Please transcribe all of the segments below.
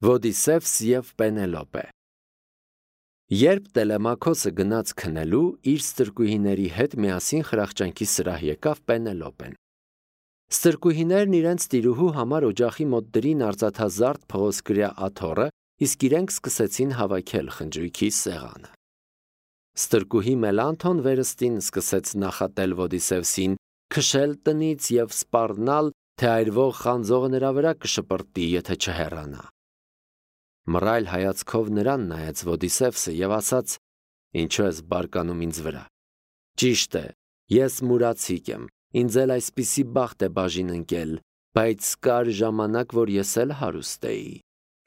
Ոդիսևս և Պենելոպե։ Երբ Տելեմաքոսը գնաց քնելու, իր ստրկուհիների հետ միասին խրախճանքի սրահ եկավ Պենելոպեն։ Ստրկուհիներն իրենց տիրուհու համար օջախի մոտ դրին արծաթազարդ փղոսկրյա աթոռը, իսկ իրենք սկսեցին հավաքել խնջույքի սեղանը։ Ստրկուհի Մելանթոն վերստին սկսեց նախատել Ոդիսևսին, քշել տնից և սպառնալ, թե այրվող խանձողը նրա վրա կշպրտի, եթե չհեռանա։ Մռայլ հայացքով նրան նայեց Ոդիսևսը և ասաց. «Ինչու ես բարկանում ինձ վրա։ Ճիշտ է, ես մուրացիկ եմ, ինձ էլ այսպիսի բախտ է բաժին ընկել, բայց կար ժամանակ, որ ես էլ հարուստ էի։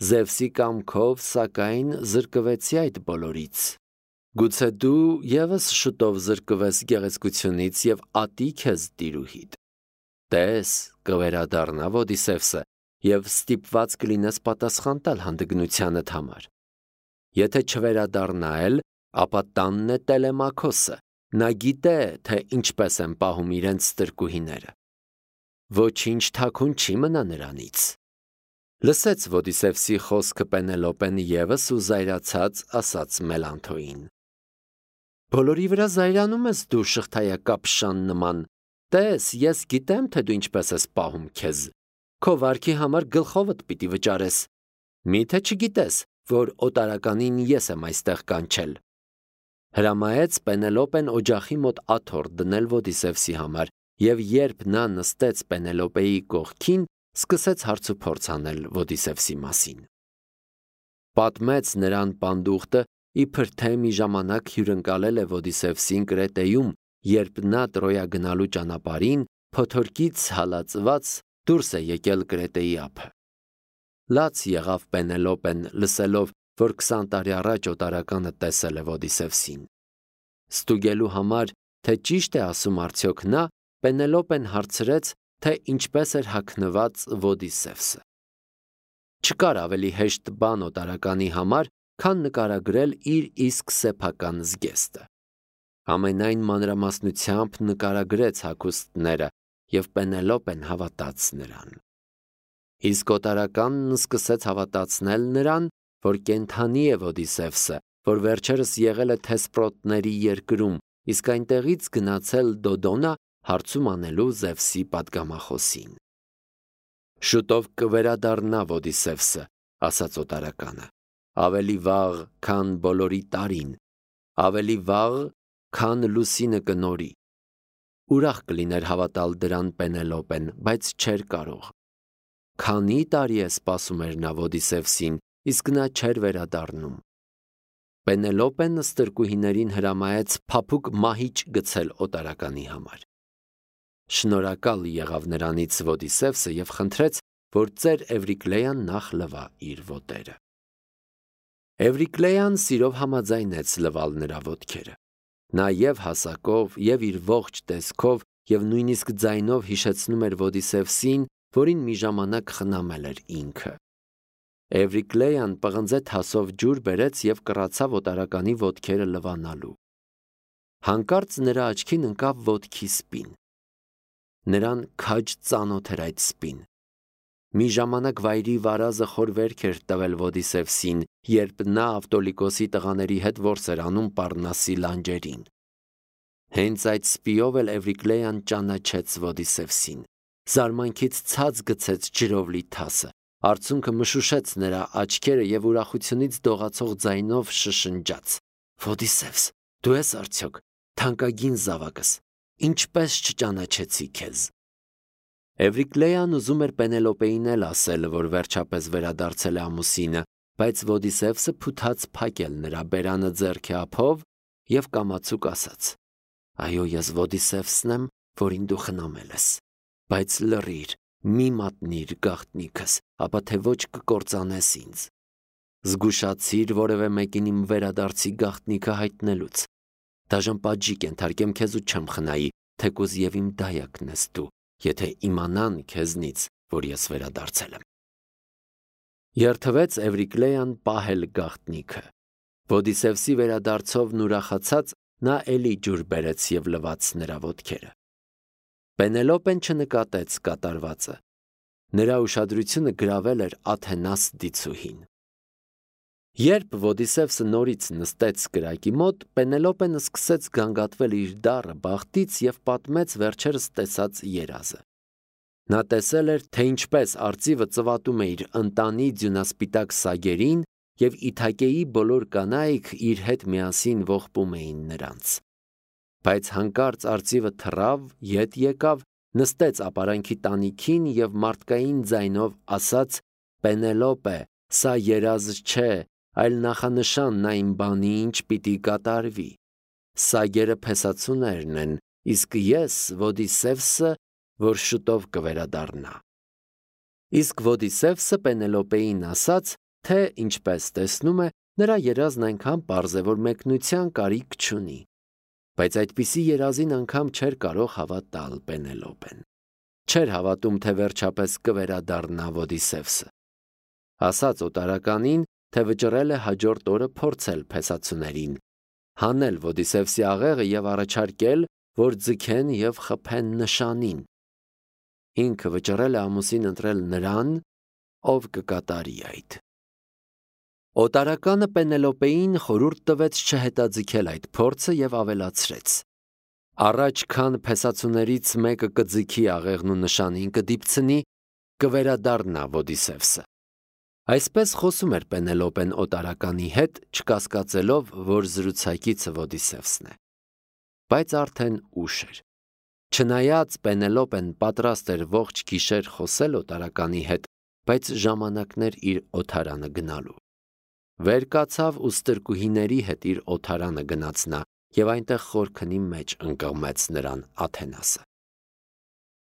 Զևսի կամքով, սակայն, զրկվեցի այդ բոլորից։ Գուցե դու ևս շուտով զրկվես գեղեցկությունից և ատի քեզ տիրուհիդ։ Տես, կվերադառնա Ոդիսևսը, և ստիպված կլինես պատասխան տալ հանդգնությանդ համար։ Եթե չվերադառնա էլ, ապա տանն է Տելեմաքոսը, նա գիտե, թե ինչպես են պահում իրենց ստրկուհիները։ Ոչինչ թաքուն չի մնա նրանից»։ Լսեց Ոդիսևսի խոսքը Պենելոպեն ևս ու զայրացած ասաց Մելանթոյին. «Բոլորի վրա զայրանում ես դու, շղթայակապ շան նման։ Տես, ես գիտեմ, թե դու ինչպես ես պահում քեզ։ Քո վարքի համար գլխովդ պիտի վճարես։ Մի՞թե չգիտես, որ օտարականին ես եմ այստեղ կանչել»։ Հրամայեց Պենելոպեն օջախի մոտ աթոռ դնել Ոդիսևսի համար, և երբ նա նստեց Պենելոպեի կողքին, սկսեց հարցուփորձ անել Ոդիսևսի մասին։ Պատմեց նրան պանդուխտը, իբր թե մի ժամանակ հյուրընկալել է Ոդիսևսին Կրետեում, երբ նա Տրոյա գնալու ճանապարհին փոթորկից հալածված դուրս է եկել Կրետեի ափը։ Լաց եղավ Պենելոպեն, լսելով, որ 20 տարի առաջ օտարականը տեսել է Ոդիսևսին։ Ստուգելու համար, թե ճիշտ է ասում արդյոք նա, Պենելոպեն հարցրեց, թե ինչպես էր հագնված Ոդիսևսը։ Չկար ավելի հեշտ բան օտարականի համար, քան նկարագրել իր իսկ սեփական զգեստը։ Ամենայն մանրամասնությամբ նկարագրեց հագուստները, և Պենելոպեն հավատաց նրան։ Իսկ օտարականն սկսեց հավատացնել նրան, որ կենդանի է Ոդիսևսը, որ վերջերս եղել է Թեսպրոտների երկրում, իսկ այնտեղից գնացել Դոդոնա հարցում անելու Զևսի պատգամախոսին։ «Շուտով կվերադառնա Ոդիսևսը», ասաց օտարականը, ավելի վաղ, քան բոլորի տարին, ավելի վաղ, քան լուսինը կնորի։ Ուրախ կլիներ հավատալ դրան Պենելոպեն, բայց չէր կարող։ Քանի տարի է սպասում էր նա Ոդիսևսին, իսկ նա չէր վերադառնում։ Պենելոպեն ստրկուհիներին հրամայեց փափուկ մահիճ գցել օտարականի համար։ Շնորհակալ եղավ նրանից Ոդիսևսը և խնդրեց, որ ծեր Էվրիկլեան նախ լվա իր ոտերը։ Էվրիկլեան սիրով համաձայնեց լվալ նրա ոտքերը։ Նա և հասակով, և իր ողջ տեսքով, և նույնիսկ ձայնով հիշեցնում էր Ոդիսևսին, որին մի ժամանակ խնամել էր ինքը։ Էվրիկլեան պղնձե թասով ջուր բերեց և կռացավ օտարականի ոտքերը լվանալու։ Հանկարծ նրա աչքին ընկավ ոտքի սպին։ Նրան քաջ ծանոթ էր այդ սպին։ Մի ժամանակ վայրի վարազը խոր վերք էր տվել Ոդիսևսին, երբ նա Ավտոլիկոսի տղաների հետ որս էր անում Պառնասի լանջերին։ Հենց այդ սպիով էլ Էվրիկլեան ճանաչեց Ոդիսևսին։ Զարմանքից ցած գցեց ջրով լի թասը, արցունքը մշուշեց նրա աչքերը և ուրախությունից դողացող ձայնով շշնջաց. «Ոդիսևս, դու ես արդյոք, թանկագին զավակս, ինչպես չճանաչեցի քեզ»։ Էվրիկլեան ուզում էր Պենելոպեին էլ ասել, որ վերջապես վերադարձել է ամուսինը, բայց Ոդիսևսը փութաց փակել նրա բերանը ձեռքի ափով և կամացուկ ասաց. «Այո, ես Ոդիսևսն եմ, որին դու խնամել ես, բայց լռիր, մի մատնիր գաղտնիքս, ապա թե ոչ կկործանես ինձ։ Զգուշացիր որևէ մեկին իմ վերադարձի գաղտնիքը հայտնելուց։ Դաժան պատժի կենթարկեմ քեզ ու չեմ խնայի, թեկուզ և իմ դայակն ես դու, եթե իմանան քեզնից, որ ես վերադարձել եմ»։ Երդվեց Էվրիկլեան պահել գաղտնիքը։ Ոդիսևսի վերադարձովն ուրախացած, նա էլի ջուր բերեց և լվաց նրա ոտքերը։ Պենելոպեն չնկատեց կատարվածը։ Նրա ուշադրությունը գրավել էր Աթենաս դիցուհին։ Երբ Ոդիսևսը նորից նստեց կրակի մոտ, Պենելոպեն սկսեց գանգատվել իր դառը բախտից և պատմեց վերջերս տեսած երազը։ Նա տեսել էր, թե ինչպես արծիվը ծվատում է իր ընտանի ձյունասպիտակ սագերին և Իթակեի բոլոր կանայք իր հետ միասին ողբում էին նրանց։ Բայց հանկարծ արծիվը թռավ, ետ եկավ, նստեց ապարանքի տանիքին և մարդկային ձայնով ասաց. «Պենելոպե, սա երազ չէ, այլ նախանշանն այն բանի, ինչ պիտի կատարվի։ Սագերը փեսացուներն են, իսկ ես Ոդիսևսը, որ շուտով կվերադառնա»։ Իսկ Ոդիսևսը Պենելոպեին ասաց, թե ինչպես տեսնում է, նրա երազն այնքան պարզ է, որ մեկնության կարիք չունի։ Բայց այդպիսի երազին անգամ չէր կարող հավատալ Պենելոպեն։ Չէր հավատում, թե վերջապես կվերադառնա Ոդիսևսը։ Ասաց օտարականին, թե վճռել է հաջորդ օրը փորձել փեսացուներին, հանել Ոդիսևսի աղեղը և առաջարկել, որ ձգեն և խփեն նշանին։ Ինքը վճռել է ամուսին ընտրել նրան, ով կկատարի այդ։ Օտարականը Պենելոպեին խորհուրդ տվեց չհետաձգել այդ փորձը և ավելացրեց. «Առաջ քան փեսացուներից մեկը կձգի աղեղն ու նշանին կդիպցնի, կվերադառնա Ոդիսևսը»։ Այսպես խոսում էր Պենելոպեն օտարականի հետ, չկասկածելով, որ զրուցակիցը Ոդիսևսն է։ Բայց արդեն ուշ էր։ Չնայած Պենելոպեն պատրաստ էր ողջ գիշեր խոսել օտարականի հետ, բայց ժամանակն էր իր օթարանը գնալու։ Վեր կացավ ու ստրկուհիների հետ իր օթարանը գնաց նա և այնտեղ խորքնի մեջ ընկղմեց նրան Աթենասը։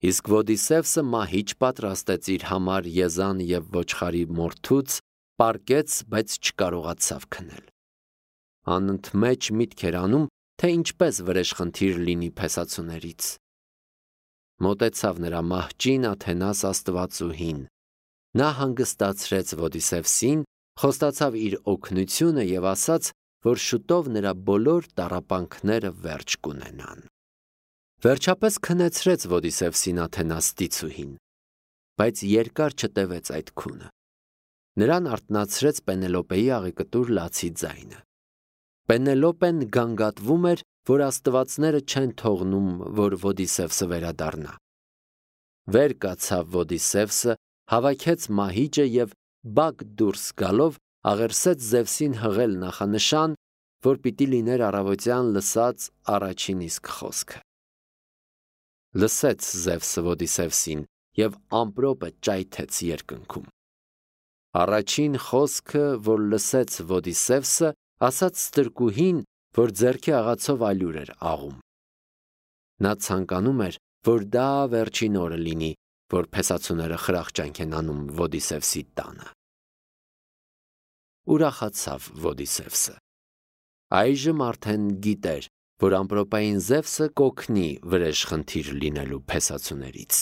Իսկ Ոդիսևսը մահիճ պատրաստեց իր համար եզան և ոչխարի մորթուց, պառկեց, բայց չկարողացավ քնել։ Անընդմեջ միտք էր անում, թե ինչպես վրեժխնդիր լինի փեսացուներից։ Մոտեցավ նրա մահճին Աթենաս աստվածուհին։ Նա հանգստացրեց Ոդիսևսին, խոստացավ իր օգնությունը և ասաց, որ շուտով նրա բոլոր տառապանքները վերջ կունենան։ Վերջապես քնեցրեց Ոդիսևսին Աթենաս դիցուհին, բայց երկար չտևեց այդ քունը։ Նրան արթնացրեց Պենելոպեի աղեկտուր լացի ձայնը։ Պենելոպեն գանգատվում էր, որ աստվածները չեն թողնում, որ Ոդիսևսը վերադառնա։ Վեր կացավ Ոդիսևսը, հավաքեց մահիճը և բակ դուրս գալով աղերսեց Զևսին հղել նախանշան, որ պիտի լիներ առավոտյան լսած առաջին իսկ խոսքը։ Լսեց Զևսը Ոդիսևսին և ամպրոպը ճայթեց երկնքում։ Առաջին խոսքը, որ լսեց Ոդիսևսը, ասաց ստրկուհին, որ ձեռքի աղացով ալյուր էր աղում։ Նա ցանկանում էր, որ դա վերջին օրը լինի, որ փեսացուները խրախճանք են անում Ոդիսևսի տանը։ Ուրախացավ Ոդիսևսը։ Այժմ արդեն գիտեր, որ ամպրոպային Զևսը կօգնի վրեժխնդիր լինելու փեսացուներից։